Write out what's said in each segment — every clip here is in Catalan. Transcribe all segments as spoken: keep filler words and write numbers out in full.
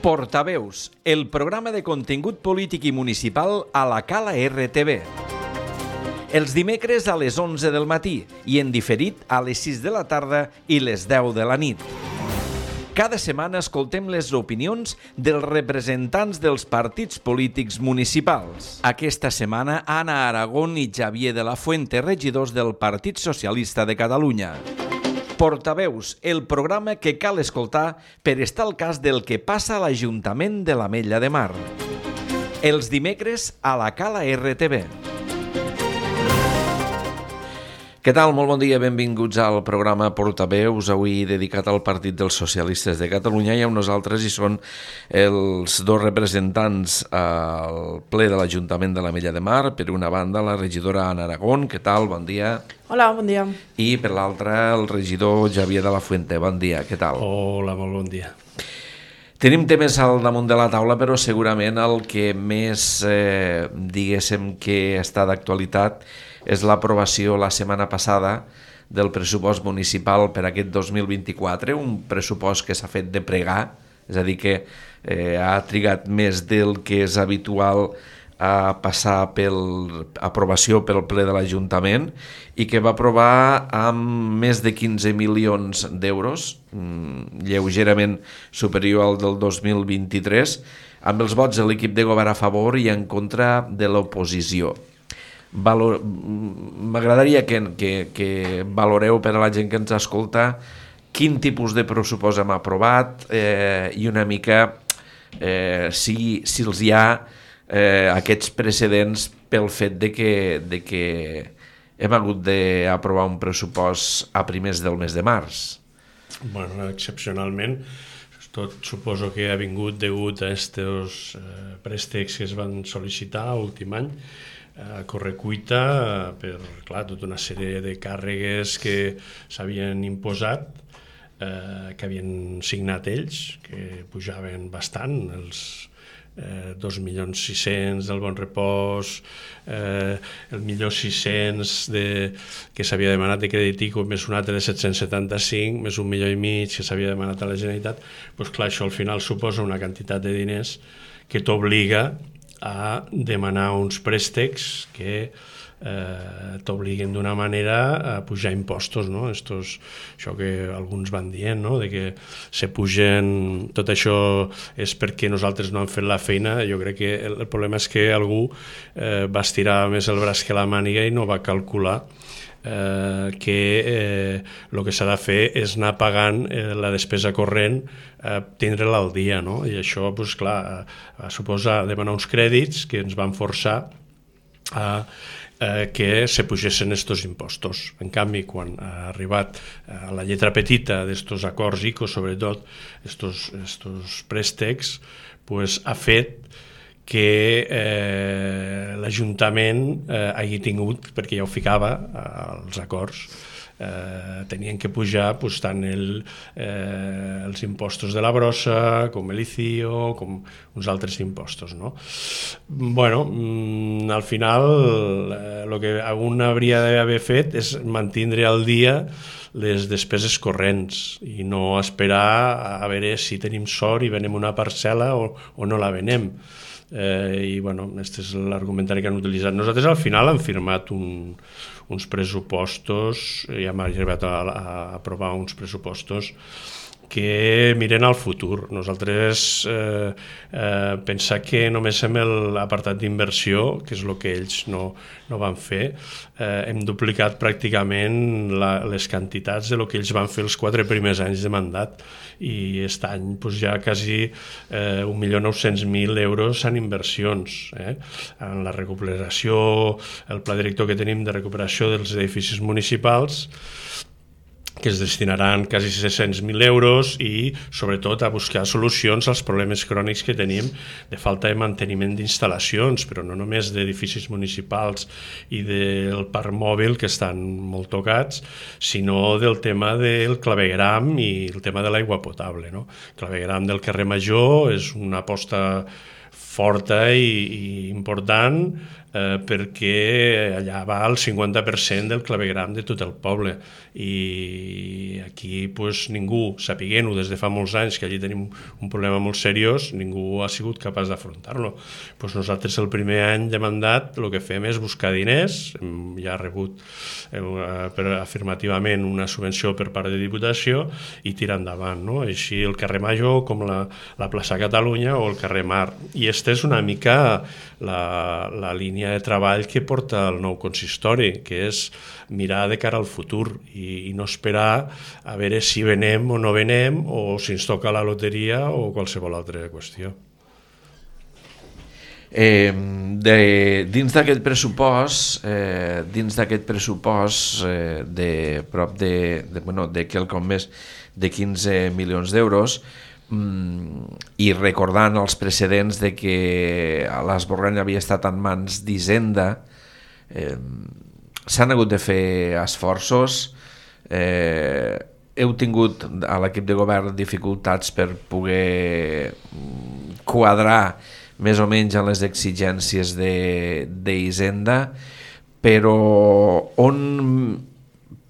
Portaveus, el programa de contingut polític i municipal a la Cala R T V. Els dimecres a les onze del matí i en diferit a les sis de la tarda i les deu de la nit. Cada setmana escoltem les opinions dels representants dels partits polítics municipals. Aquesta setmana, Anna Aragón i Xavier de la Fuente, regidors del Partit Socialista de Catalunya. Portaveus, el programa que cal escoltar per estar al cas del que passa a l'Ajuntament de l'Ametlla de Mar. Els dimecres a la Cala R T V. Què tal? Molt bon dia, benvinguts al programa Portaveus, avui dedicat al Partit dels Socialistes de Catalunya, i amb nosaltres hi són els dos representants al ple de l'Ajuntament de l'Ametlla de Mar. Per una banda, la regidora Anna Aragón. Què tal? Bon dia. Hola, bon dia. I per l'altra, el regidor Xavier de la Fuente. Bon dia, què tal? Hola, molt bon dia. Tenim temes al damunt de la taula, però segurament el que més, eh, diguéssim, que està d'actualitat és l'aprovació la setmana passada del pressupost municipal per aquest dos mil vint-i-quatre, un pressupost que s'ha fet de pregar, és a dir, que eh, ha trigat més del que és habitual a passar per aprovació pel ple de l'Ajuntament, i que va aprovar amb més de quinze milions d'euros, lleugerament superior al del dos mil vint-i-tres, amb els vots de l'equip de govern a favor i en contra de l'oposició. Valor... M'agradaria que, que, que valoreu per a la gent que ens escolta quin tipus de pressupost hem aprovat eh, i una mica eh, si, si els hi ha eh, aquests precedents pel fet de que, de que hem hagut d'aprovar un pressupost a primers del mes de març. Bueno, excepcionalment, tot suposo que ha vingut degut a aquests eh, préstecs que es van sol·licitar l'últim any, a correcuita per, clar, tota una sèrie de càrregues que s'havien imposat, eh, que havien signat ells, que pujaven bastant, els eh, dos milions sis-cents del Bon Repòs, eh, el milió sis-cents de, que s'havia demanat de Creditico, més un altre de set-cents setanta-cinc, més un milió i mig que s'havia demanat a la Generalitat. Doncs clar, això al final suposa una quantitat de diners que t'obliga a demanar uns préstecs que eh, t'obliguen d'una manera a pujar impostos, no? Estos, això que alguns van dient, no? De que se pugen, tot això és perquè nosaltres no hem fet la feina. Jo crec que el, el problema és que algú eh, va estirar més el braç que la màniga i no va calcular Eh, que eh, el que s'ha de fer és anar pagant eh, la despesa corrent, eh, tindre-la al dia, no? I això, doncs, clar, va suposar demanar uns crèdits que ens van forçar a eh, que se pugessin estos impostos. En canvi, quan ha arribat a la lletra petita d'estos acords I C O, sobretot estos, estos préstecs, pues, ha fet que eh, l'Ajuntament eh, hagi tingut, perquè ja ho ficava als acords, eh, tenien que pujar pues, tant el, eh, els impostos de la brossa, com el I C I O, com uns altres impostos, no? Bueno, mm, al final, el eh, que un hauria d'haver fet és mantindre al dia les despeses corrents i no esperar a veure si tenim sort i venem una parcel·la o, o no la venem. Eh, i bueno, aquest és l'argumentari que han utilitzat. Nosaltres al final hem firmat un, uns pressupostos i hem arribat a, a aprovar uns pressupostos que miren al futur. Nosaltres eh, eh, pensar que només hem l'apartat d'inversió, que és el que ells no, no van fer, eh, hem duplicat pràcticament la, les quantitats de lo que ells van fer els quatre primers anys de mandat, i aquest any pues, ja quasi eh, un milió nou-cents mil euros en inversions, eh? En la recuperació, el pla director que tenim de recuperació dels edificis municipals, que es destinaran quasi sis-cents mil euros, i sobretot a buscar solucions als problemes crònics que tenim de falta de manteniment d'instal·lacions, però no només d'edificis municipals i del parc mòbil, que estan molt tocats, sinó del tema del clavegueram i el tema de l'aigua potable, no? El clavegueram del carrer Major és una aposta forta i, i important eh, perquè allà va el cinquanta per cent del clavegram de tot el poble i aquí pues, ningú, sapiguent-ho des de fa molts anys que allí tenim un problema molt seriós, ningú ha sigut capaç d'afrontar-lo. Pues nosaltres el primer any de mandat el que fem és buscar diners, ja ha rebut eh, per, afirmativament una subvenció per part de Diputació i tirar endavant, no? Així el carrer Major com la, la plaça Catalunya o el carrer Mar. I aquesta és una mica la, la línia de treball que porta el nou consistori, que és mirar de cara al futur i, i no esperar a veure si venem o no venem o si ens toca la loteria o qualsevol altra qüestió. Eh, de, dins d'aquest pressupost, eh, dins d'aquest pressupost eh, de prop de, de, bueno, de quelcom més de quinze milions d'euros, i recordant els precedents de que l'Esborrany havia estat en mans d'Hisenda, eh, s'han hagut de fer esforços, eh, heu tingut a l'equip de govern dificultats per poder quadrar més o menys en les exigències d'Hisenda, però on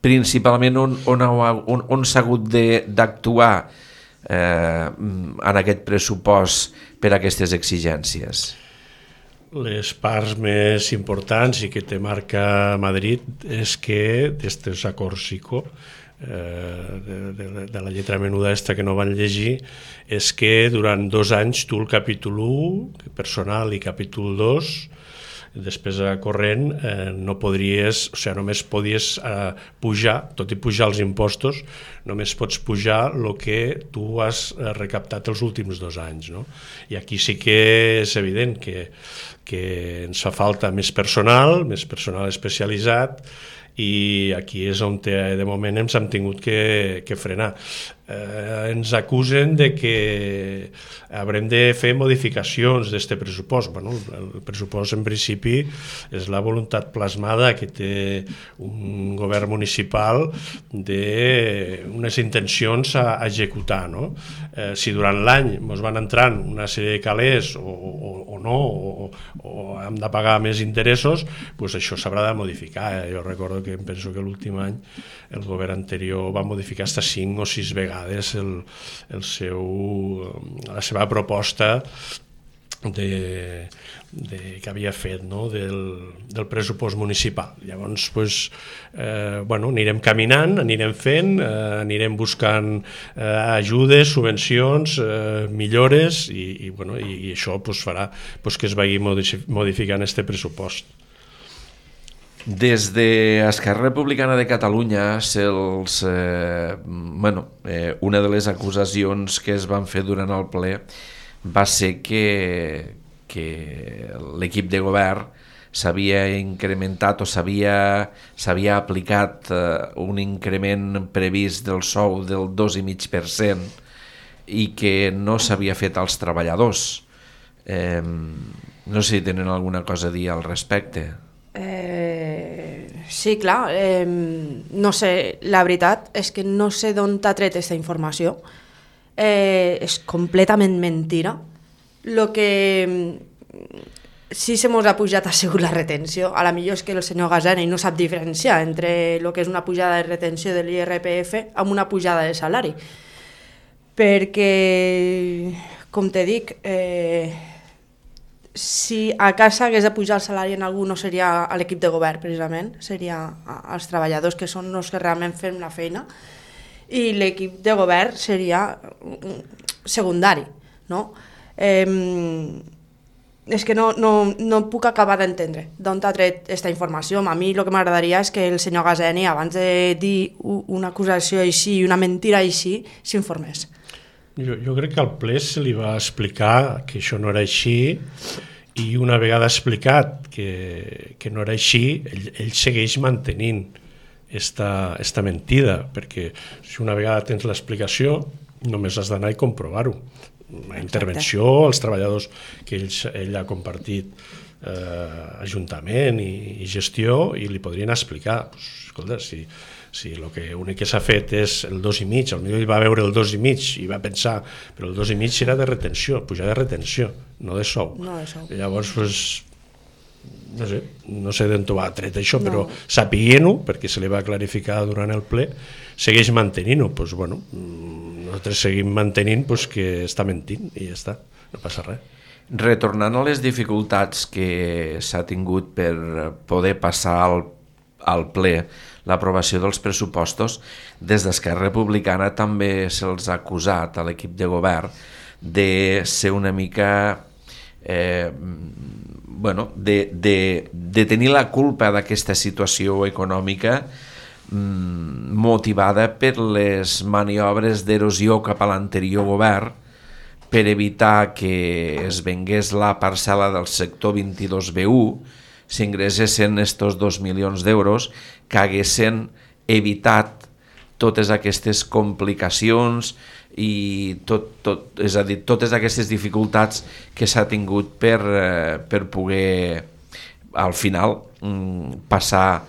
principalment on, on, on, on s'ha hagut d'actuar Eh, en aquest pressupost per a aquestes exigències? Les parts més importants i que te marca Madrid és que d'aquests acords ICO eh, de, de, de la lletra menuda esta que no van llegir és que durant dos anys tu el capítol u personal i capítol dos despesa corrent eh, no podries, o sigui, només podies eh, pujar, tot i pujar els impostos, només pots pujar el que tu has recaptat els últims dos anys, no? I aquí sí que és evident que, que ens fa falta més personal, més personal especialitzat, i aquí és on te, de moment ens hem tingut que, que frenar. Eh, ens acusen de que haurem de fer modificacions d'aquest pressupost. Bueno, el pressupost en principi és la voluntat plasmada que té un govern municipal d'unes intencions a executar, no? Eh, si durant l'any ens van entrant una sèrie de calés o, o, o no, o, o hem de pagar més interessos, doncs això s'haurà de modificar. Eh? Jo recordo que em penso que l'últim any el govern anterior va modificar fins a cinc o sis vegades el, el seu, la seva proposta de, de, que havia fet, no? del, del pressupost municipal. Llavors, pues, eh, bueno, anirem caminant, anirem fent, eh, anirem buscant eh, ajudes, subvencions, eh, millores i, i, bueno, i, i això pues, farà pues, que es vagi modificant este pressupost. Des d'Esquerra Republicana de Catalunya, se'ls, eh, bueno, eh, una de les acusacions que es van fer durant el ple va ser que, que l'equip de govern s'havia incrementat o s'havia s'havia aplicat eh, un increment previst del sou del dos coma cinc per cent i que no s'havia fet als treballadors. Eh, no sé si tenen alguna cosa a dir al respecte. Eh, sí, clar, eh, no sé, la veritat és que no sé d'on t'ha tret aquesta informació, eh, és completament mentira. Lo que sí se mos ha pujat ha sigut la retenció, a la millor és que el senyor Gaseni no sap diferenciar entre el que és una pujada de retenció de l'I R P F amb una pujada de salari, perquè, com te dic, eh, si a casa hagués de pujar el salari en algú no seria a l'equip de govern precisament, seria als treballadors que són els que realment fem la feina i l'equip de govern seria secundari, no? Eh, és que no, no, no puc acabar d'entendre d'on t'ha tret aquesta informació. A mi el que m'agradaria és que el senyor Gaseni, abans de dir una acusació així i una mentira així, s'informés. Jo, jo crec que al ple se li va explicar que això no era així i una vegada explicat que, que no era així, ell, ell segueix mantenint esta, esta mentida, perquè si una vegada tens l'explicació només has d'anar i comprovar-ho. La intervenció als treballadors que ell, ell ha compartit eh, ajuntament i, i gestió i li podrien explicar, pues, escolta, si si el que únic que s'ha fet és el dos i mig, potser ell va veure el dos i mig i va pensar, però el dos i mig era de retenció, pujar de retenció, no de sou. No de sou. I llavors, pues, no sé, no sé d'on va tret això, no. Però sapiguent-ho, perquè se li va clarificar durant el ple, segueix mantenint-ho. Pues, bueno, nosaltres seguim mantenint pues, que està mentint i ja està, no passa res. Retornant a les dificultats que s'ha tingut per poder passar al, al ple l'aprovació dels pressupostos, des d'Esquerra Republicana també se'ls ha acusat a l'equip de govern de ser una mica... Eh, bueno, de, de, de tenir la culpa d'aquesta situació econòmica mm, motivada per les maniobres d'erosió cap a l'anterior govern per evitar que es vengués la parcel·la del sector vint-i-dos B u, s'ingressessin estos dos milions d'euros que haguessin evitat totes aquestes complicacions i tot, tot, és a dir, totes aquestes dificultats que s'ha tingut per, per poder al final passar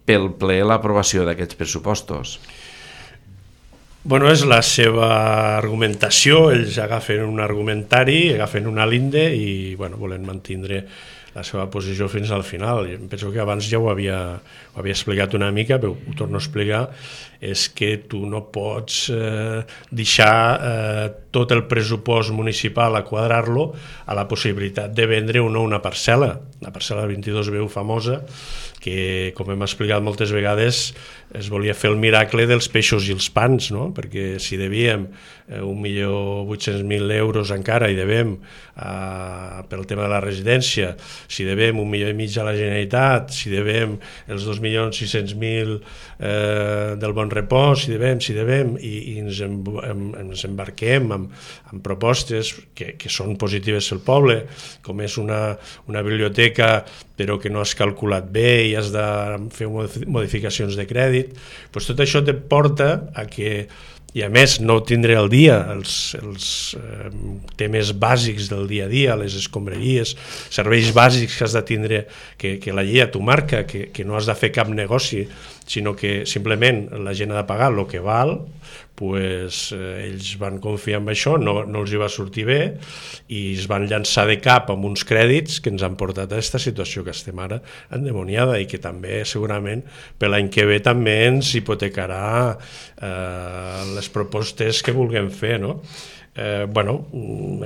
pel ple l'aprovació d'aquests pressupostos. Bueno, és la seva argumentació, ells agafen un argumentari, agafen una linde i bueno, volen mantindre la seva posició fins al final. Jo penso que abans ja ho havia, ho havia explicat una mica, però ho torno a explicar, és que tu no pots eh, deixar eh, tot el pressupost municipal a quadrar-lo a la possibilitat de vendre una, una parcel·la, la parcel·la vint-i-dos B u famosa, que, com hem explicat moltes vegades, es volia fer el miracle dels peixos i els pans, no? Perquè si devíem eh, un milió vuit-cents mil euros encara i devem eh, pel tema de la residència, si devem un milió i mig a la Generalitat, si devem els dos milions sis-cents mil eh, del Bon Repòs, si devem, si devem, i, i ens, em, em, ens embarquem amb, amb propostes que, que són positives al poble, com és una, una biblioteca però que no has calculat bé i has de fer modificacions de crèdit, doncs tot això te porta a que, i a més no tindré al dia els, els eh, temes bàsics del dia a dia, les escombraries, serveis bàsics que has de tindre, que, que la llei t'ho marca, que, que no has de fer cap negoci, sinó que simplement la gent ha de pagar el que val, pues, eh, ells van confiar en això, no, no els hi va sortir bé i es van llançar de cap amb uns crèdits que ens han portat a aquesta situació que estem ara endemoniada i que també segurament per l'any que ve també ens hipotecarà eh, les propostes que vulguem fer, no? Eh, bueno,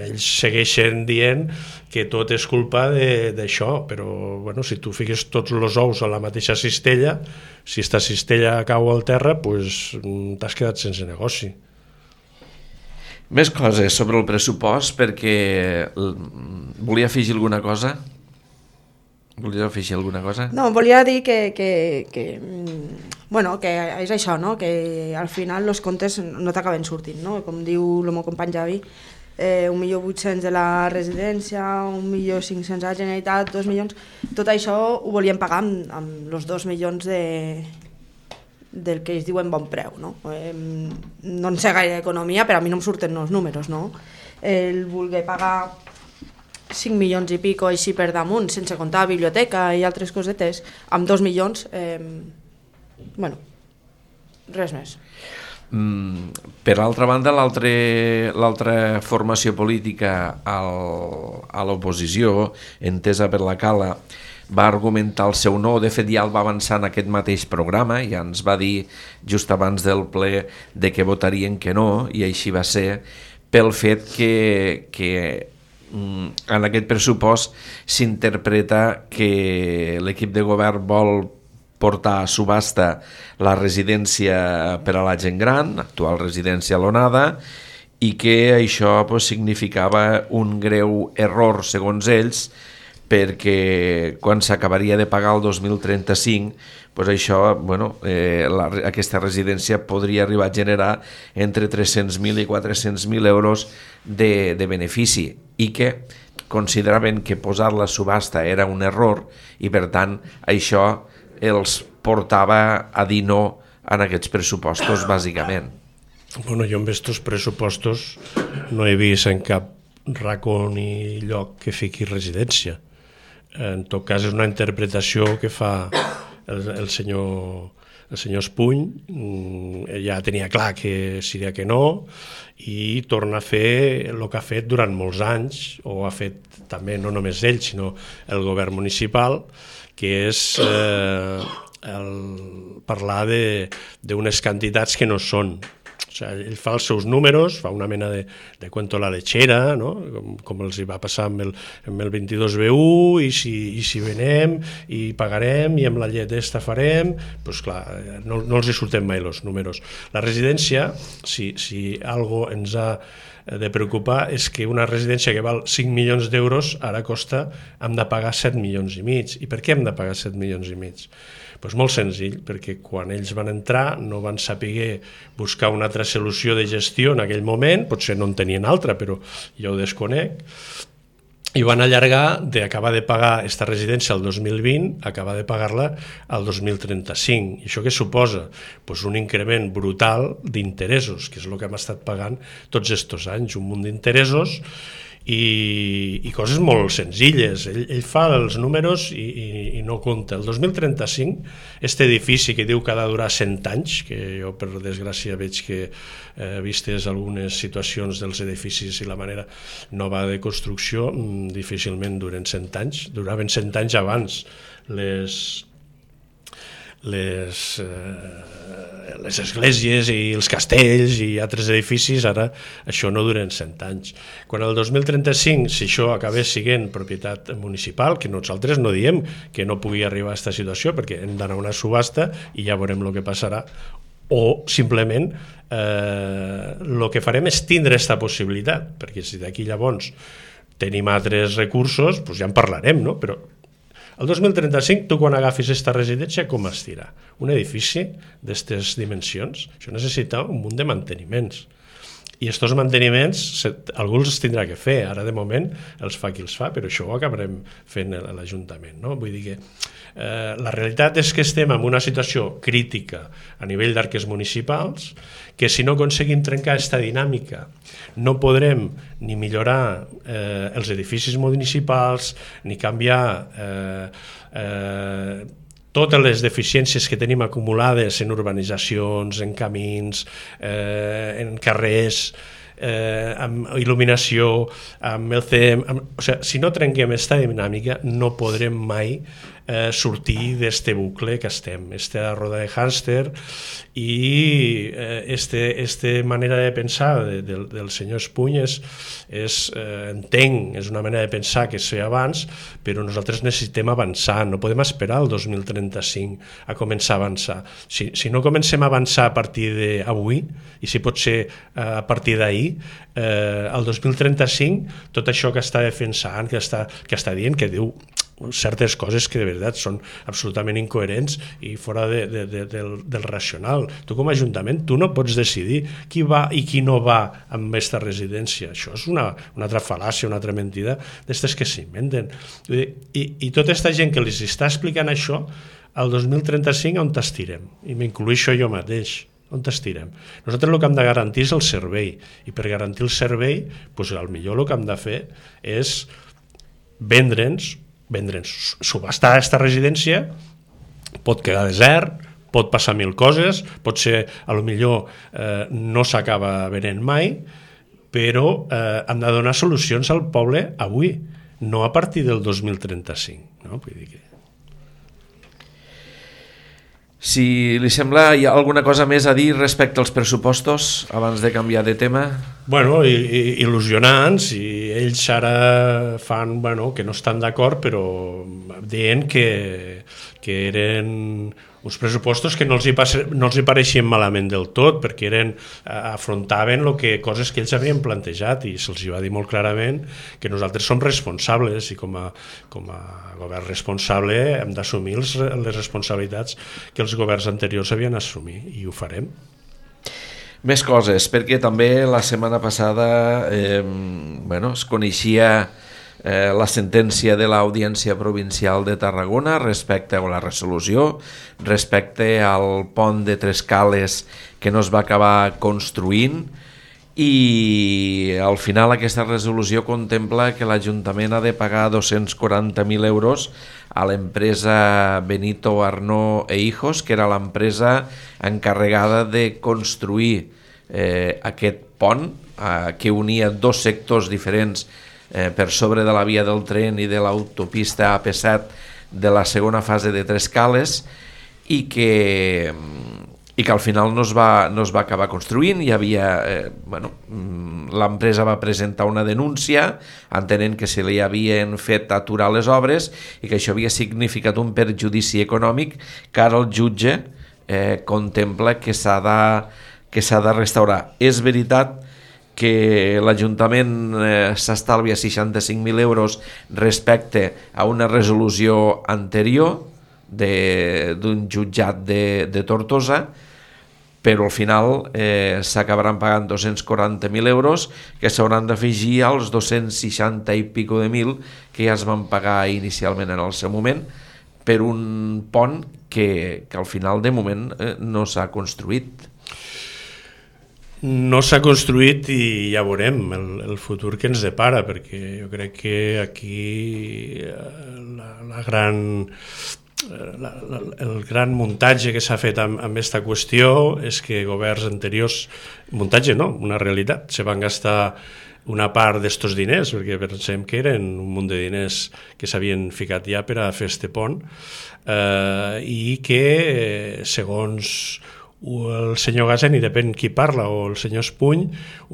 ells segueixen dient que tot és culpa d'això, però bueno, si tu fiques tots els ous a la mateixa cistella, si aquesta cistella cau al terra, pues, t'has quedat sense negoci. Més coses sobre el pressupost, perquè volia afegir alguna cosa? Volia afegir alguna cosa? No, volia dir que, que, que, bueno, que és això, no? Que al final els comptes no t'acaben sortint, no? Com diu el meu company Javi, eh, un milió vuit-cents de la residència, un milió cinc-cents a la Generalitat, dos milions, tot això ho volíem pagar amb, amb els dos milions de, del que ells diuen bon preu, no? Eh, no en sé gaire d'economia, però a mi no em surten els números, no? El voler pagar cinc milions i pico així per damunt, sense comptar biblioteca i altres cosetes, amb dos milions, eh, bueno, res més. Mm, per altra banda, l'altra formació política al, a l'oposició, entesa per la Cala, va argumentar el seu no, de fet ja el va avançar en aquest mateix programa, ja ens va dir just abans del ple de que votarien que no, i així va ser, pel fet que, que en aquest pressupost s'interpreta que l'equip de govern vol portar a subhasta la residència per a la gent gran, actual residència a l'Onada, i que això pues, significava un greu error, segons ells, perquè quan s'acabaria de pagar el dos mil trenta-cinc, pues això, bueno, eh, la, aquesta residència podria arribar a generar entre tres-cents mil i quatre-cents mil euros de, de benefici, i que consideraven que posar-la a subhasta era un error i per tant això els portava a dir no en aquests pressupostos bàsicament. Bueno, jo amb aquests pressupostos no he vist en cap racó ni lloc que fiqui residència. En tot cas és una interpretació que fa el, el senyor el senyor Espuny ja tenia clar que seria que no i torna a fer el que ha fet durant molts anys, o ha fet també no només ell, sinó el govern municipal, que és eh, el parlar d'unes quantitats que no són. O sigui, ell fa els seus números, fa una mena de, de cuento la lechera, no? com, com els hi va passar amb el, amb el vint-i-dos B u, i si, i si venem, i pagarem, i amb la llet esta farem, doncs clar, no, no els hi surten mai els números. La residència, si, si algo ens ha de preocupar, és que una residència que val cinc milions d'euros ara costa, hem de pagar set milions i mig. I per què hem de pagar set milions i mig? Pues molt senzill, perquè quan ells van entrar no van saber buscar una altra solució de gestió en aquell moment, potser no en tenien altra, però jo ho desconec, i van allargar d'acabar de pagar aquesta residència el dos mil vint, acabar de pagar-la al dos mil trenta-cinc. I això què suposa? Pues un increment brutal d'interessos, que és el que hem estat pagant tots aquests anys, un munt d'interessos, I, i coses molt senzilles. Ell, ell fa els números i, i, i no compta. El dos mil trenta-cinc, aquest edifici que diu que ha de durar cent anys, que jo per desgràcia veig que eh, vistes algunes situacions dels edificis i la manera nova de construcció, difícilment duren cent anys. Duraven cent anys abans les... les, eh, les esglésies i els castells i altres edificis, ara això no duren cent anys. Quan el dos mil trenta-cinc, si això acabés sent propietat municipal, que nosaltres no diem que no pugui arribar a aquesta situació, perquè hem d'anar a una subhasta i ja veurem el que passarà, o simplement el eh, que farem és tindre aquesta possibilitat, perquè si d'aquí llavors tenim altres recursos, doncs ja en parlarem, no? Però el dos mil trenta-cinc, tu quan agafis aquesta residència, com es dirà? Un edifici d'aquestes dimensions, això necessita un munt de manteniments. I aquests manteniments, algú els tindrà que fer, ara de moment els fa qui els fa, però això ho acabarem fent a l'Ajuntament, no? Vull dir que eh, la realitat és que estem en una situació crítica a nivell d'arques municipals, que si no aconseguim trencar aquesta dinàmica no podrem ni millorar eh, els edificis municipals, ni canviar eh, eh, totes les deficiències que tenim acumulades en urbanitzacions, en camins, eh, en carrers, eh, amb il·luminació, amb el C E M... Amb, o sigui, si no trenquem aquesta dinàmica no podrem mai eh, sortir d'este bucle que estem, esta roda de hàmster, i eh, este, este manera de pensar de, de, del senyor Espuny és, és eh, entenc, és una manera de pensar que es feia abans, però nosaltres necessitem avançar, no podem esperar el dos mil trenta-cinc a començar a avançar. Si, si no comencem a avançar a partir d'avui, i si pot ser a partir d'ahir, eh, el dos mil trenta-cinc, tot això que està defensant, que està, que està dient, que diu certes coses que de veritat són absolutament incoherents i fora de, de, de, del, del racional. Tu com a Ajuntament tu no pots decidir qui va i qui no va amb aquesta residència. Això és una, una altra fal·làcia, una altra mentida d'estes que s'inventen. I, i tota aquesta gent que els està explicant això, el dos mil trenta-cinc on t'estirem? I m'incluïxo jo mateix. On t'estirem? Nosaltres el que hem de garantir és el servei, i per garantir el servei, doncs, el millor el que hem de fer és vendre'ns vendre'ns, subhastar aquesta residència, pot quedar desert, pot passar mil coses, pot ser, a lo millor eh, no s'acaba venent mai, però eh, hem de donar solucions al poble avui, no a partir del dos mil trenta-cinc. No? Vull dir que... Si li sembla, hi ha alguna cosa més a dir respecte als pressupostos abans de canviar de tema? Bueno, i, i, il·lusionants, i ells ara fan, bueno, que no estan d'acord, però dient que, que eren uns pressupostos que no els hi, passe, no els hi pareixien malament del tot, perquè eren, afrontaven lo que, coses que ells havien plantejat, i se'ls va dir molt clarament que nosaltres som responsables, i com a, com a govern responsable hem d'assumir les, les responsabilitats que els governs anteriors havien assumit, i ho farem. Més coses, perquè també la setmana passada eh, bueno, es coneixia eh, la sentència de l'Audiència Provincial de Tarragona respecte a la resolució, respecte al pont de Tres Cales que no es va acabar construint, i al final aquesta resolució contempla que l'Ajuntament ha de pagar dos-cents quaranta mil euros a l'empresa Benito Arnó e Hijos, que era l'empresa encarregada de construir eh, aquest pont eh, que unia dos sectors diferents eh, per sobre de la via del tren i de l'autopista A P set de la segona fase de Trescales, i que i que al final no es va, no es va acabar construint. Hi havia, eh, bueno, l'empresa va presentar una denúncia entenent que se li havien fet aturar les obres i que això havia significat un perjudici econòmic que ara el jutge eh, contempla que s'ha de, que s'ha de restaurar. És veritat que l'Ajuntament eh, s'estalvia seixanta-cinc mil euros respecte a una resolució anterior d'un jutjat de, de Tortosa, però al final eh, s'acabaran pagant dos-cents quaranta mil euros que s'hauran d'afegir als dos-cents seixanta i pico de mil que ja es van pagar inicialment en el seu moment per un pont que, que al final de moment eh, no s'ha construït. No s'ha construït i ja veurem el, el futur que ens depara, perquè jo crec que aquí la, la gran... La, la, el gran muntatge que s'ha fet amb aquesta qüestió és que governs anteriors, muntatge no, una realitat, se van gastar una part d'estos diners, perquè pensem que eren un munt de diners que s'havien ficat ja per a fer este pont, eh, i que segons el senyor Gaseni, depèn qui parla, o el senyor Espuny,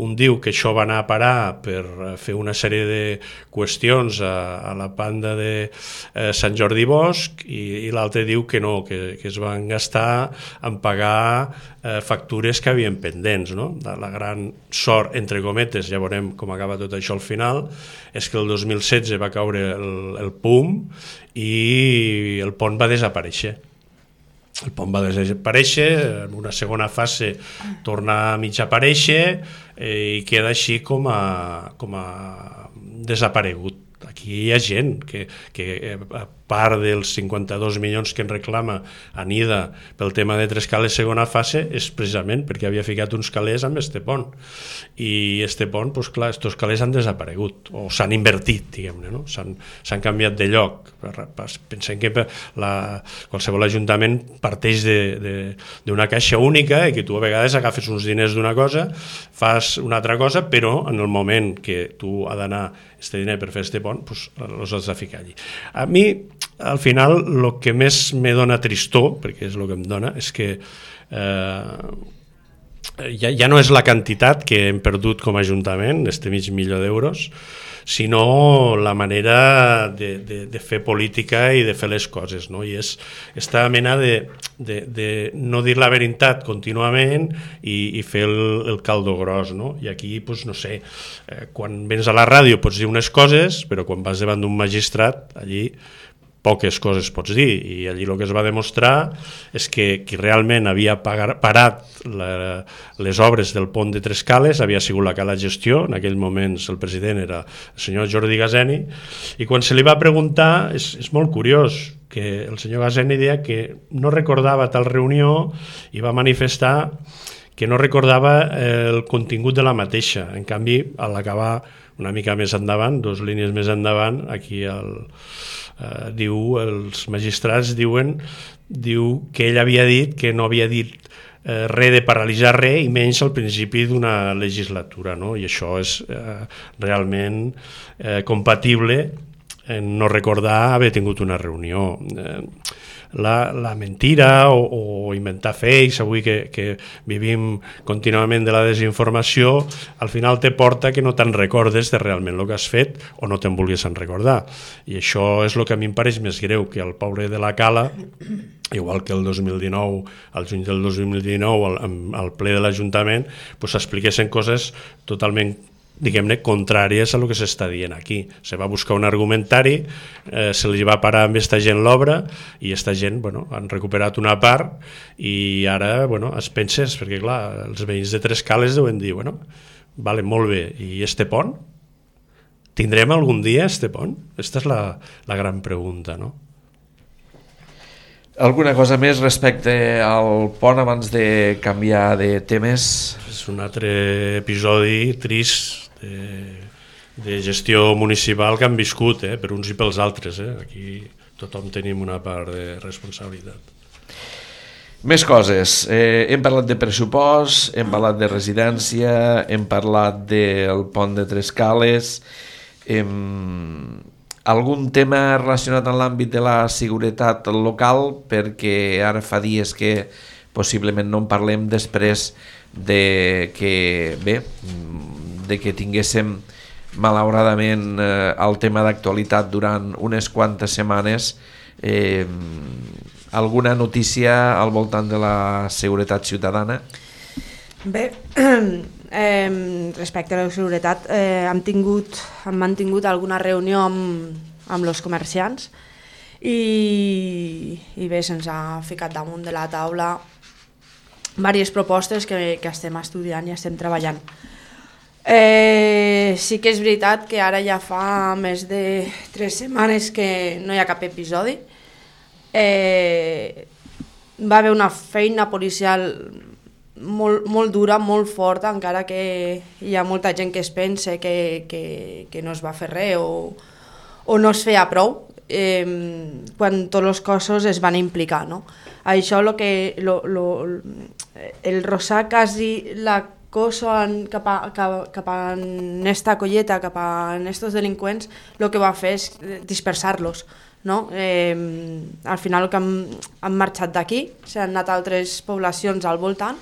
un diu que això va anar a parar per fer una sèrie de qüestions a, a la banda de eh, Sant Jordi Bosch, i, i l'altre diu que no, que, que es van gastar en pagar eh, factures que havien pendents, no? La gran sort, entre cometes, ja veurem com acaba tot això al final, és que el dos mil setze va caure el, el P U M i el pont va desaparèixer. El pont va desaparèixer, en una segona fase torna a mig aparèixer eh, i queda així com a, com a desaparegut. Aquí hi ha gent que, que a part dels cinquanta-dos milions que en reclama Anida pel tema de Trescales segona fase és precisament perquè havia ficat uns calés amb este pont, i este pont, doncs clar, estos calés han desaparegut o s'han invertit, diguem-ne, no? S'han canviat de lloc. Pensem que la, qualsevol ajuntament parteix d'una caixa única i que tu a vegades agafes uns diners d'una cosa, fas una altra cosa, però en el moment que tu ha d'anar este diner per fer este pont, doncs els has de ficar allí. A mi, al final, el que més me dona tristor, perquè és el que em dona, és que eh, ja, ja no és la quantitat que hem perdut com a Ajuntament, este mig milió d'euros, sinó la manera de, de, de fer política i de fer les coses, no? I és aquesta mena de, de, de no dir la veritat contínuament i, i fer el, el caldo gros, no? I aquí, doncs, no sé, eh, quan vens a la ràdio pots dir unes coses, però quan vas davant d'un magistrat, allí poques coses pots dir, i allí el que es va demostrar és que qui realment havia parat la, les obres del pont de Trescales havia sigut la Cala Gestió, en aquell moment el president era el senyor Jordi Gaseni, i quan se li va preguntar, és, és molt curiós, que el senyor Gaseni deia que no recordava tal reunió i va manifestar que no recordava el contingut de la mateixa. En canvi, a l'acabar una mica més endavant, dues línies més endavant, aquí el Uh, diu, els magistrats diuen diu que ell havia dit que no havia dit uh, res de paralitzar res i menys al principi d'una legislatura, no? I això és uh, realment uh, compatible en no recordar haver tingut una reunió. Uh, La, la mentira o, o inventar fakes, avui que, que vivim contínuament de la desinformació, al final te porta que no te'n recordes de realment el que has fet o no te'n vulguis en recordar. I això és el que a mi em pareix més greu, que el pobre de la Cala, igual que el dos mil dinou, al juny del dos mil dinou, al, al ple de l'Ajuntament, pues s'expliquessin coses totalment, diguem-ne, contràries a el que s'està dient aquí. Se va buscar un argumentari, eh, se li va parar amb aquesta gent l'obra i aquesta gent, bueno, han recuperat una part i ara, bueno, es penses, perquè clar, els veïns de Trescales deuen dir, bueno, vale, molt bé, i este pont? Tindrem algun dia este pont? Aquesta és la, la gran pregunta, no? Alguna cosa més respecte al pont abans de canviar de temes? És un altre episodi trist de, de gestió municipal que han viscut, eh, per uns i pels altres. Eh. Aquí tothom tenim una part de responsabilitat. Més coses. Eh, hem parlat de pressupost, hem parlat de residència, hem parlat del pont de Trescales, hem... algun tema relacionat amb l'àmbit de la seguretat local, perquè ara fa dies que possiblement no en parlem després de que, bé, de que tinguéssim malauradament eh, el tema d'actualitat durant unes quantes setmanes, eh, alguna notícia al voltant de la seguretat ciutadana? Bé, eh, respecte a la seguretat, eh, hem, tingut, hem mantingut alguna reunió amb, amb els comerciants i, i bé, se'ns ha ficat damunt de la taula diverses propostes que, que estem estudiant i estem treballant. Eh, sí que és veritat que ara ja fa més de tres setmanes que no hi ha cap episodi. Eh, va haver una feina policial molt, molt dura, molt forta, encara que hi ha molta gent que es pensa que, que, que no es va fer res o, o no es feia prou, eh, quan tots els cossos es van implicar, no? Això lo que lo, lo, el rosar quasi la cosa cap a, cap, cap a esta colleta, cap a estos delinqüents, el que va fer és dispersar-los, no? Eh, al final que han, han marxat d'aquí, s'han anat a altres poblacions al voltant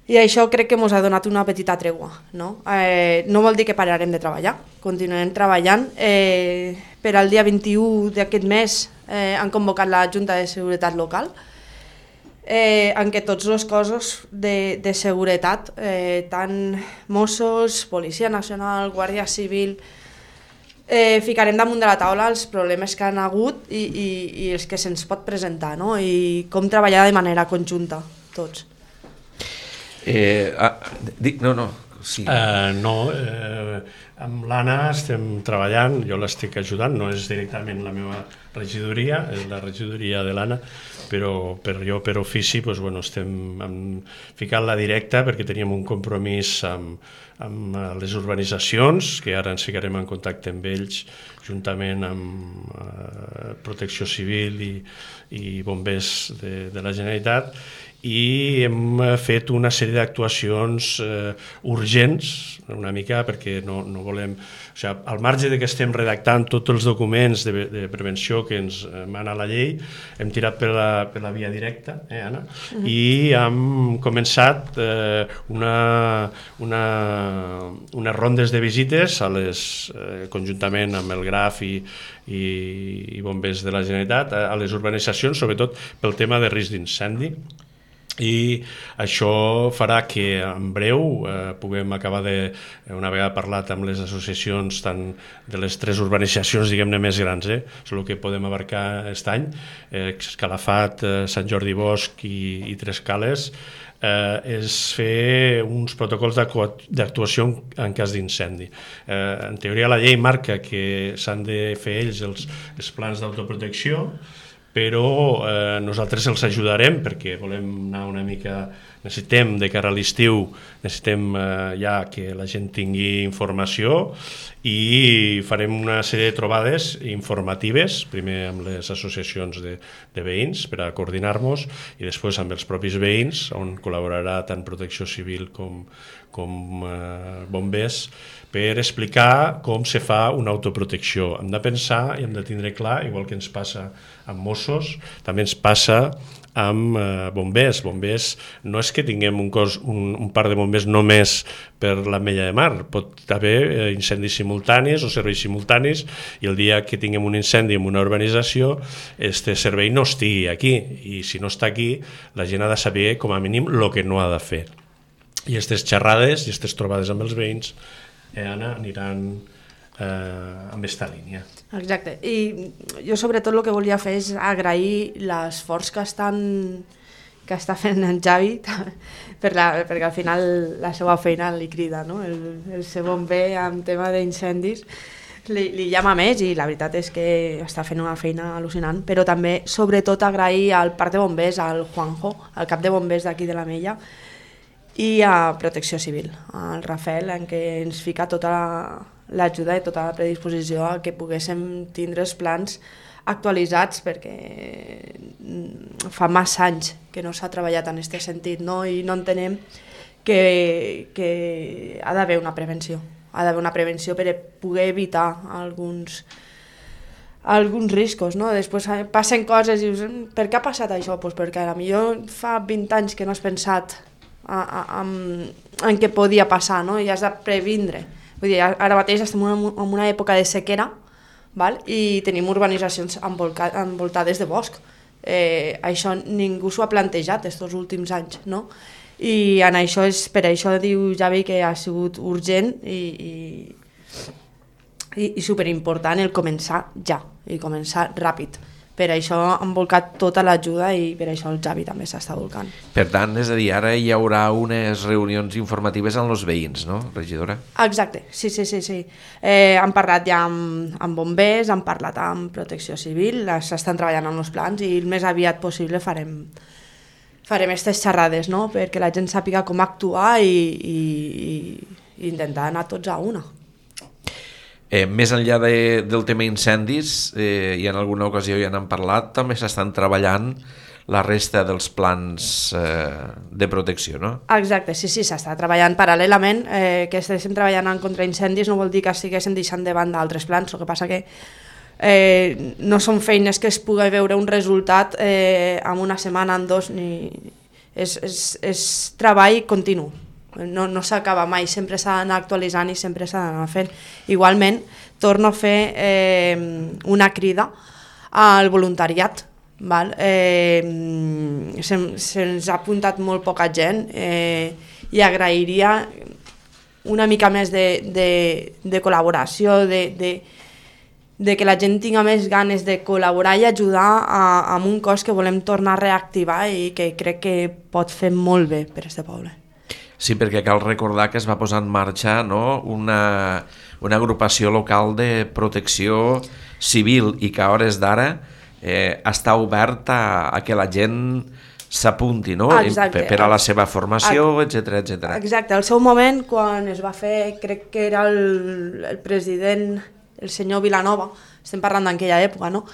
i això crec que ens ha donat una petita tregua, no? Eh, no vol dir que pararem de treballar, continuem treballant. Eh, per al dia vint-i-u d'aquest mes eh, han convocat la Junta de Seguretat Local, eh, en què tots els cossos de, de seguretat, eh, tant Mossos, Policia Nacional, Guàrdia Civil, eh, ficarem damunt de la taula els problemes que han hagut i, i, i els que se'ns pot presentar, no? I com treballar de manera conjunta, tots. Eh, ah, dic, no, no, sí. Uh, no, eh, amb l'Anna estem treballant, jo l'estic ajudant, no és directament la meva regidoria, és la regidoria de l'Anna, però per jo per ofici doncs, bueno, estem ficant-la directa perquè teníem un compromís amb, amb les urbanitzacions, que ara ens ficarem en contacte amb ells, juntament amb eh, Protecció Civil i, i bombers de, de la Generalitat, i hem fet una sèrie d'actuacions eh, urgents, una mica, perquè no, no volem... O sigui, al marge de que estem redactant tots els documents de, de prevenció que ens mana la llei, hem tirat per la, per la via directa, eh, Anna? Uh-huh. I hem començat eh, una, una, unes rondes de visites a les, eh, conjuntament amb el Graf i, i, i bombers de la Generalitat, a, a les urbanitzacions, sobretot pel tema de risc d'incendi. I això farà que en breu eh, puguem acabar de, una vegada parlat amb les associacions tant de les tres urbanitzacions diguem-ne més grans, eh? És el que podem abarcar aquest any, eh, Calafat, eh, Sant Jordi Bosch i, i Trescales, eh, és fer uns protocols d'actuació en cas d'incendi. Eh, en teoria la llei marca que s'han de fer ells els, els plans d'autoprotecció, però eh, nosaltres els ajudarem perquè volem anar una mica, necessitem de cara a l'estiu, necessitem eh, ja que la gent tingui informació i farem una sèrie de trobades informatives, primer amb les associacions de, de veïns per a coordinar-nos i després amb els propis veïns, on col·laborarà tant Protecció Civil com, com eh, bombers, per explicar com se fa una autoprotecció. Hem de pensar i hem de tindre clar, igual que ens passa amb Mossos, també ens passa amb eh, bombers. Bombers no és que tinguem un, cos, un, un parc de bombers només per l'Ametlla de Mar, pot haver eh, incendis simultanis o serveis simultanis i el dia que tinguem un incendi en una urbanització, este servei no estigui aquí i si no està aquí, la gent ha de saber com a mínim el que no ha de fer. I aquestes xerrades i aquestes trobades amb els veïns eh, Anna, aniran eh, amb aquesta línia. Exacte, i jo sobretot el que volia fer és agrair l'esforç que estan que està fent en Javi per la, perquè al final la seva feina li crida, no? El, el ser bomber en tema d'incendis li, li llama més i la veritat és que està fent una feina al·lucinant, però també sobretot agrair al parc de bombers, al Juanjo, al cap de bombers d'aquí de la Mella, i a Protecció Civil, al Rafael, en què ens fica tota l'ajuda i tota la predisposició a que poguéssim tindre els plans actualitzats, perquè fa massa anys que no s'ha treballat en aquest sentit, no? I no entenem que, que ha d'haver una prevenció, ha d'haver una prevenció per poder evitar alguns, alguns riscos, no? Després passen coses i dius, per què ha passat això? Pues perquè potser fa vint anys que no has pensat a, a, en, en què podia passar, no? I has de previndre. Vull dir, ara mateix estem en una època de sequera, val? I tenim urbanitzacions envoltades de bosc. Eh, això ningú s'ho ha plantejat aquests últims anys, no? I en això és, per això diu Javi que ha sigut urgent i, i, i, i superimportant el començar ja, i començar ràpid. Per això han volcat tota l'ajuda i per això el Javi també s'està volcant. Per tant, és a dir, ara hi haurà unes reunions informatives amb els veïns, no, regidora? Exacte, sí, sí, sí. sí. Eh, han parlat ja amb, amb bombers, han parlat amb Protecció Civil, s'estan treballant en els plans i el més aviat possible farem farem aquestes xerrades, no? Perquè la gent sàpiga com actuar i, i, i intentar anar tots a una. Eh, més enllà de, del tema incendis, eh, i en alguna ocasió ja n'han parlat, també s'estan treballant la resta dels plans eh, de protecció, no? Exacte, sí, sí, s'està treballant paral·lelament. Eh, que estiguéssim treballant en contraincendis no vol dir que estiguéssim deixant de banda altres plans, el que passa que eh, no són feines que es pugui veure un resultat eh, en una setmana, en dos, ni... és, és, és treball continu. No, no s'acaba mai, sempre s'ha d'anar actualitzant i sempre s'ha d'anar fent. Igualment, torno a fer eh, una crida al voluntariat. Val? Eh, se'ns se ha apuntat molt poca gent eh, i agrairia una mica més de, de, de col·laboració, de, de, de que la gent tinga més ganes de col·laborar i ajudar a, a un cos que volem tornar a reactivar i que crec que pot fer molt bé per este poble. Sí, perquè cal recordar que es va posar en marxa, no, una, una agrupació local de protecció civil i que a hores d'ara eh, està obert a, a que la gent s'apunti, no? Per, per a la seva formació, etcètera, etcètera. Exacte, al seu moment, quan es va fer, crec que era el, el president, el senyor Vilanova, estem parlant d'aquella època, no?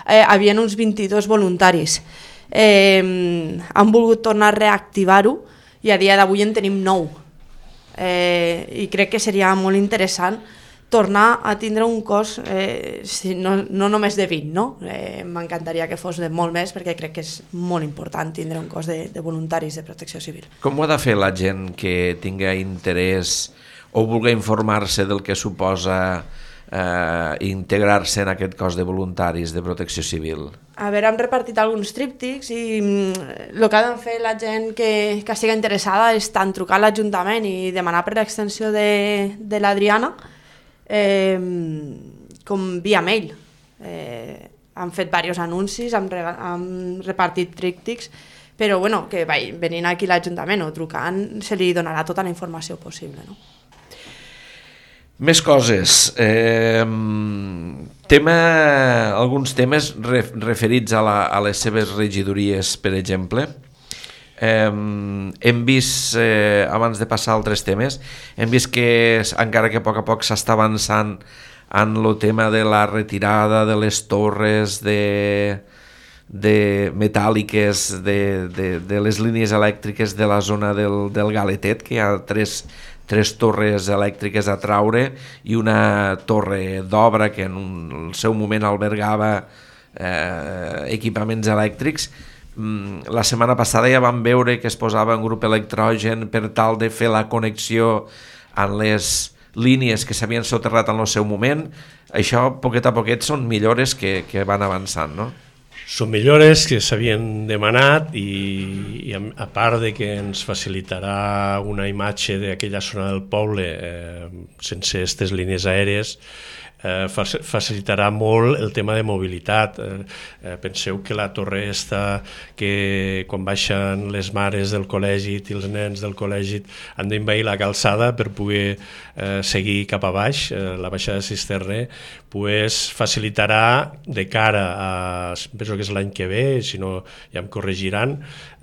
Eh, havien uns vint-i-dos voluntaris. Eh, han volgut tornar a reactivar-ho i a dia d'avui en tenim nou. Eh, I crec que seria molt interessant tornar a tindre un cos, eh, si no, no només de vint, no? Eh, m'encantaria que fos de molt més perquè crec que és molt important tindre un cos de, de voluntaris de protecció civil. Com ho ha de fer la gent que tinga interès o vulgui informar-se del que suposa eh, integrar-se en aquest cos de voluntaris de protecció civil? A veure, hem repartit alguns tríptics i el que ha de fer la gent que, que estigui interessada és tant trucar a l'Ajuntament i demanar per l'extensió de, de l'Adriana eh, com via mail. Eh, han fet diversos anuncis, han, han repartit tríptics, però bueno, que vai, venint aquí a l'Ajuntament o trucant se li donarà tota la informació possible, no? Més coses. Eh, tema, alguns temes referits a, la, a les seves regidories, per exemple. Eh, hem vist, eh, abans de passar a altres temes, hem vist que encara que a poc a poc s'està avançant en el tema de la retirada de les torres de, de metàl·liques de, de, de les línies elèctriques de la zona del, del Galetet, que hi ha tres tres torres elèctriques a traure i una torre d'obra que en un, el seu moment albergava eh, equipaments elèctrics. Mm, la setmana passada ja vam veure que es posava un grup electrogen per tal de fer la connexió en les línies que s'havien soterrat en el seu moment. Això, poquet a poquet, són millores que, que van avançant, no? Són millores que s'havien demanat i, i a part de que ens facilitarà una imatge d'aquella zona del poble eh, sense aquestes línies aèries, eh, facilitarà molt el tema de mobilitat. Eh, eh, penseu que la torre esta, que quan baixen les mares del col·legi i els nens del col·legi han d'envair la calçada per poder eh, seguir cap a baix, eh, la baixada de Sisterner, pues, facilitarà de cara a, penso que és l'any que ve, si no ja em corregiran,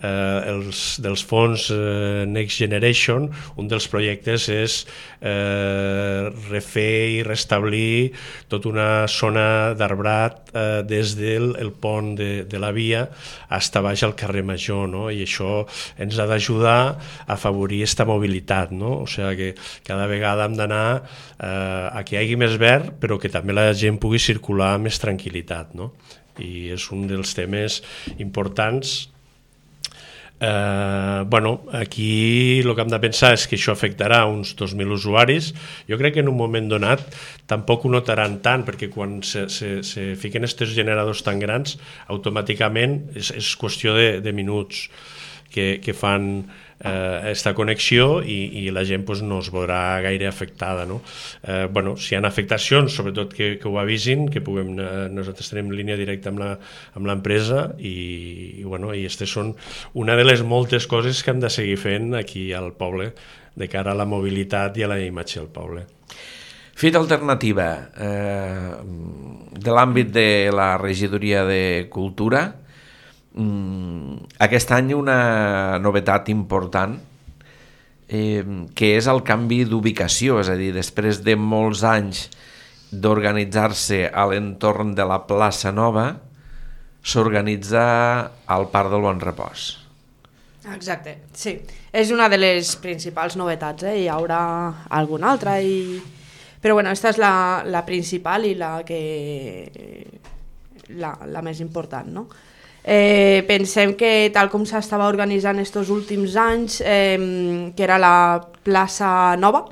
eh, els, dels fons eh, Next Generation, un dels projectes és eh, refer i restablir tota una zona d'arbrat eh, des del el pont de, de la via fins a baix al carrer Major, no? I això ens ha d'ajudar a afavorir aquesta mobilitat, no? O sigui que cada vegada hem d'anar eh, a que hi hagi més verd, però que també la gent pugui circular amb més tranquil·litat, no? I és un dels temes importants. Eh, bueno, aquí el que hem de pensar és que això afectarà uns dos mil usuaris. Jo crec que en un moment donat tampoc ho notaran tant, perquè quan se, se, se fiquen aquests generadors tan grans, automàticament és, és qüestió de, de minuts que, que fan eh, esta connexió i, i la gent pues, no es veurà gaire afectada, no? Eh, bueno, si hi ha afectacions, sobretot que, que ho avisin, que puguem, eh, nosaltres tenim línia directa amb la, amb l'empresa i, i, bueno, i aquestes són una de les moltes coses que hem de seguir fent aquí al poble de cara a la mobilitat i a la imatge del poble. Fita alternativa, eh, de l'àmbit de la regidoria de Cultura, aquest any una novetat important eh, que és el canvi d'ubicació, és a dir, després de molts anys d'organitzar-se a l'entorn de la plaça Nova, s'organitza al Parc del Bon Repòs. Exacte, sí. És una de les principals novetats, eh? Hi haurà alguna altra, i... però bueno, aquesta és la, la principal i la, que... la, la més important, no? Eh, pensem que tal com s'estava organitzant estos últims anys, eh, que era la plaça Nova,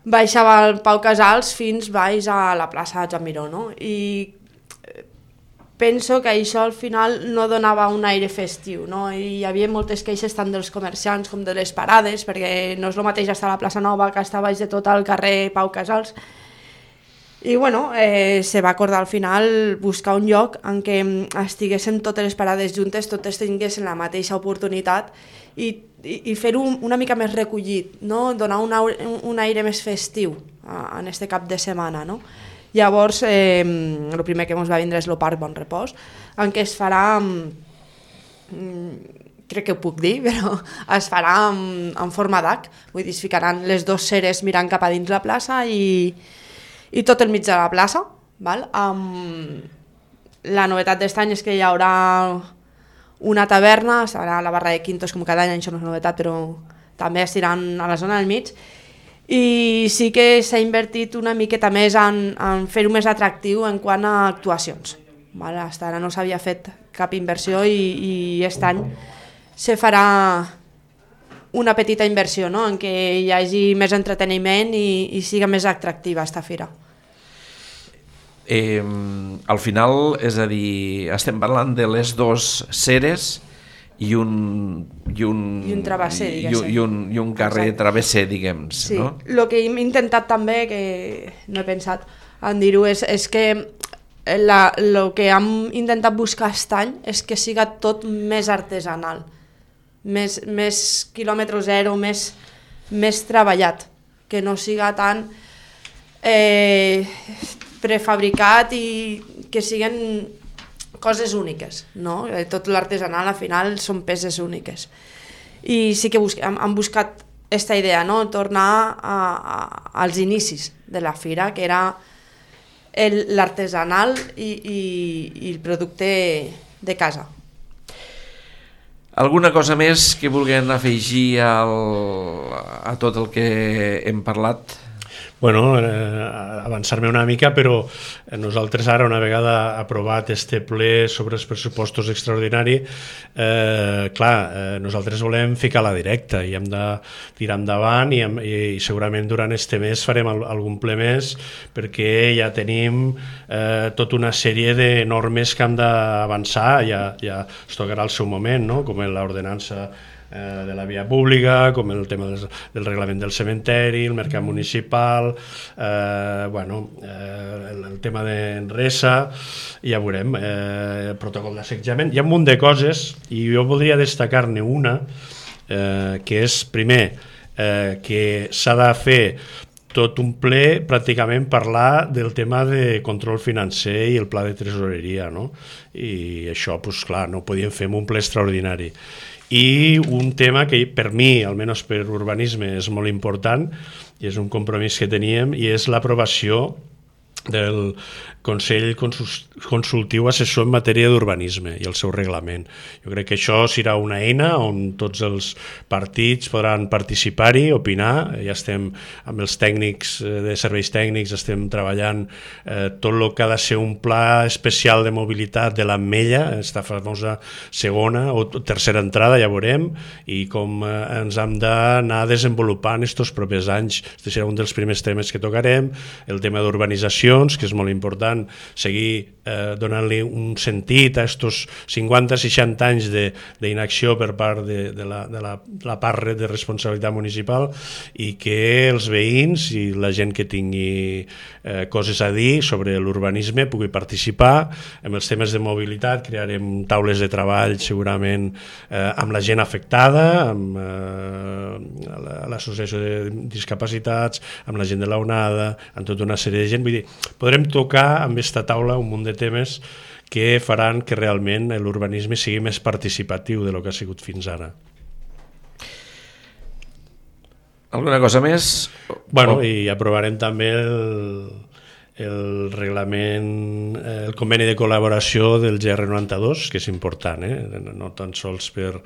baixava el Pau Casals fins baix a la plaça Joan Miró, no? I penso que això al final no donava un aire festiu, no? I hi havia moltes queixes tant dels comerciants com de les parades, perquè no és el mateix estar a la plaça Nova que estar baix de tot el carrer Pau Casals. I bueno, eh, se va acordar al final buscar un lloc en què estiguessin totes les parades juntes, totes tinguessin la mateixa oportunitat i, i, i fer-ho una mica més recollit, no? Donar un, un aire més festiu a, en este cap de setmana, no? Llavors, eh, el primer que ens va vindre és el Parc Bon Repòs, en què es farà, crec que ho puc dir, però es farà en, en forma d'H, vull dir, es ficaran les dues ceres mirant cap a dins la plaça i i tot el mig de la plaça. Val? Um, la novetat d'aquest any és que hi haurà una taverna, serà la barra de Quintos com cada any, això no és novetat, però també estiran a la zona del mig, i sí que s'ha invertit una miqueta més en, en fer-ho més atractiu en quant a actuacions. Val? Hasta ara no s'havia fet cap inversió i, i aquest any se farà una petita inversió, no? En què hi hagi més entreteniment i, i siga més atractiva aquesta fira. Eh, al final, és a dir, estem parlant de les dues ceres i un, i un, I un travesser, i, i, un, i un carrer Exacte. Travesser, diguem. Sí, no? El que hem intentat també, que no he pensat en dir-ho, és, és que el que hem intentat buscar aquest any és que siga tot més artesanal, més, més quilòmetre zero, més, més treballat, que no siga tan eh, prefabricat i que siguin coses úniques, no? Tot l'artesanal al final són peces úniques. I sí que busque, hem, hem buscat aquesta idea, no? Tornar a, a, als inicis de la fira, que era l'artesanal i, i, i el producte de casa. Alguna cosa més que vulguin afegir al, a tot el que hem parlat? Bueno, eh, avançar-me una mica, però nosaltres ara, una vegada aprovat este ple sobre els pressupostos extraordinari, eh, clar, eh, nosaltres volem ficar-la directa i hem de tirar endavant i, hem, i, i segurament durant este mes farem al, algun ple més, perquè ja tenim eh, tota una sèrie de normes que hem d'avançar, ja, ja es tocarà el seu moment, no? Com l'ordenança eh, de la via pública, com el tema del, del reglament del cementeri, el mercat municipal, eh, bueno, eh, el, el tema d'Enresa, ja veurem, eh, el protocol d'assetjament, hi ha un munt de coses i jo voldria destacar-ne una, eh, que és, primer, eh, que s'ha de fer tot un ple pràcticament parlar del tema de control financer i el pla de tresoreria, no? I això, doncs clar, no ho podíem fer en un ple extraordinari. I un tema que per mi, almenys per urbanisme, és molt important i és un compromís que teníem i és l'aprovació del Consell Consultiu Assessor en matèria d'urbanisme i el seu reglament. Jo crec que això serà una eina on tots els partits podran participar-hi, opinar. Ja estem amb els tècnics de serveis tècnics, estem treballant eh, tot el que ha de ser un pla especial de mobilitat de l'Ametlla, esta famosa segona o tercera entrada, ja veurem, i com eh, ens hem d'anar desenvolupant estos propers anys. Este serà un dels primers temes que tocarem, el tema d'urbanitzacions, que és molt important, seguir eh, donant-li un sentit a estos cinquanta seixanta anys d'inacció per part de, de, la, de la, la part de responsabilitat municipal i que els veïns i la gent que tingui eh, coses a dir sobre l'urbanisme pugui participar. En els temes de mobilitat crearem taules de treball segurament eh, amb la gent afectada, amb eh, l'associació de discapacitats, amb la gent de la onada, amb tota una sèrie de gent. Vull dir, podrem tocar amb aquesta taula un munt de temes que faran que realment l'urbanisme sigui més participatiu de lo que ha sigut fins ara. Alguna cosa més? Bueno, i aprovarem també el, el reglament, el conveni de col·laboració del G R noranta-dos, que és important, eh? No tan sols per,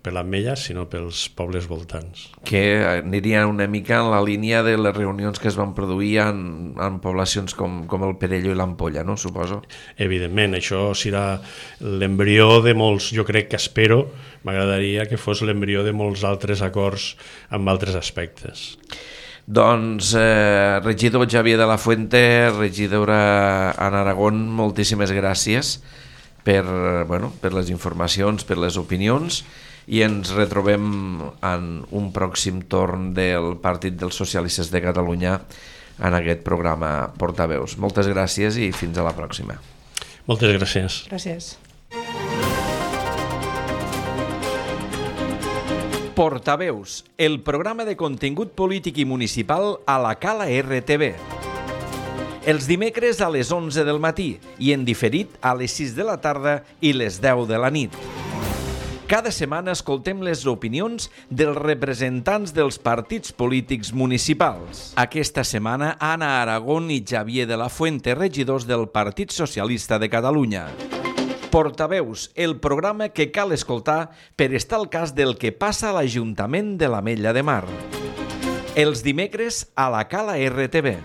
per l'Ametlla, sinó pels pobles voltants. Que aniria una mica en la línia de les reunions que es van produir en, en poblacions com, com el Perelló i l'Ampolla, no? Suposo. Evidentment, això serà l'embrió de molts, jo crec que espero, m'agradaria que fos l'embrió de molts altres acords amb altres aspectes. Doncs, eh, regidor Xavier de la Fuente, regidora Anna Aragón, moltíssimes gràcies per, bueno, per les informacions, per les opinions, i ens retrobem en un pròxim torn del Partit dels Socialistes de Catalunya en aquest programa Portaveus. Moltes gràcies i fins a la pròxima. Moltes gràcies. Gràcies. Portaveus, el programa de contingut polític i municipal a la Cala R T V. Els dimecres a les onze del matí i en diferit a les sis de la tarda i les deu de la nit. Cada setmana escoltem les opinions dels representants dels partits polítics municipals. Aquesta setmana, Anna Aragón i Xavier de la Fuente, regidors del Partit Socialista de Catalunya. Portaveus, el programa que cal escoltar per estar al cas del que passa a l'Ajuntament de l'Ametlla de Mar. Els dimecres a la Cala R T V.